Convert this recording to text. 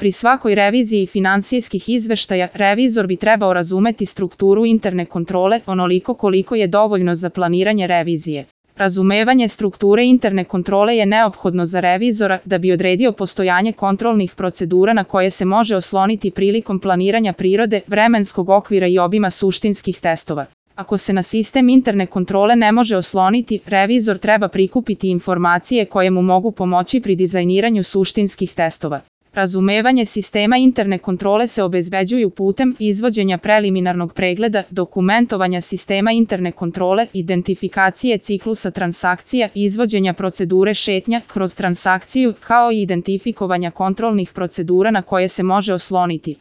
Pri svakoj reviziji finansijskih izveštaja, revizor bi trebao razumeti strukturu interne kontrole onoliko koliko je dovoljno za planiranje revizije. Razumevanje strukture interne kontrole je neophodno za revizora da bi odredio postojanje kontrolnih procedura na koje se može osloniti prilikom planiranja prirode, vremenskog okvira i obima suštinskih testova. Ako se na sistem interne kontrole ne može osloniti, revizor treba prikupiti informacije koje mu mogu pomoći pri dizajniranju suštinskih testova. Razumevanje sistema interne kontrole se obezbeđuju putem izvođenja preliminarnog pregleda, dokumentovanja sistema interne kontrole, identifikacije ciklusa transakcija, izvođenja procedure šetnja kroz transakciju, kao i identifikovanja kontrolnih procedura na koje se može osloniti.